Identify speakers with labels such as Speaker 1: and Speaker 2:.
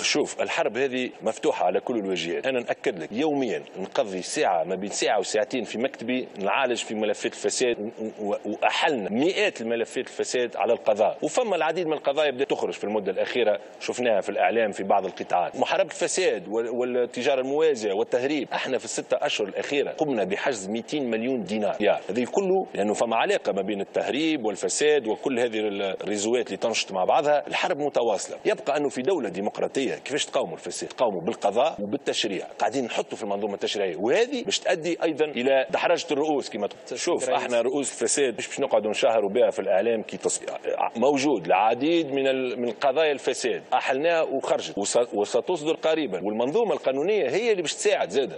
Speaker 1: شوف، الحرب هذه مفتوحة على كل الواجهات. انا ناكد لك يوميا نقضي ساعه، ما بين ساعة وساعتين في مكتبي، نعالج في ملفات الفساد، واحلنا مئات الملفات الفساد على القضاء، وفما العديد من القضايا بدات تخرج في المدة الاخيره، شفناها في الاعلام في بعض القطاعات. محاربة الفساد والتجارة الموازيه والتهريب، احنا في ال6 اشهر الاخيرة قمنا بحجز 200 مليون دينار. هذا كله لانه فما علاقة ما بين التهريب والفساد وكل هذه ال réseau ات اللي تنشط مع بعضها. الحرب متواصله. يبقى انه في دولة ديمقراطية كيفاش تقاوموا الفساد؟ تقاوموا بالقضاء وبالتشريع. قاعدين نحطوا في المنظومة التشريعيه، وهذه باش تؤدي ايضا الى دحرجه الرؤوس كما شوف. احنا رؤوس الفساد مش باش نقعدوا نشهروا بها في الاعلام. موجود العديد من قضايا الفساد، احلناها وخرجت وستصدر قريبا، والمنظومه القانونية هي اللي باش تساعد زاده.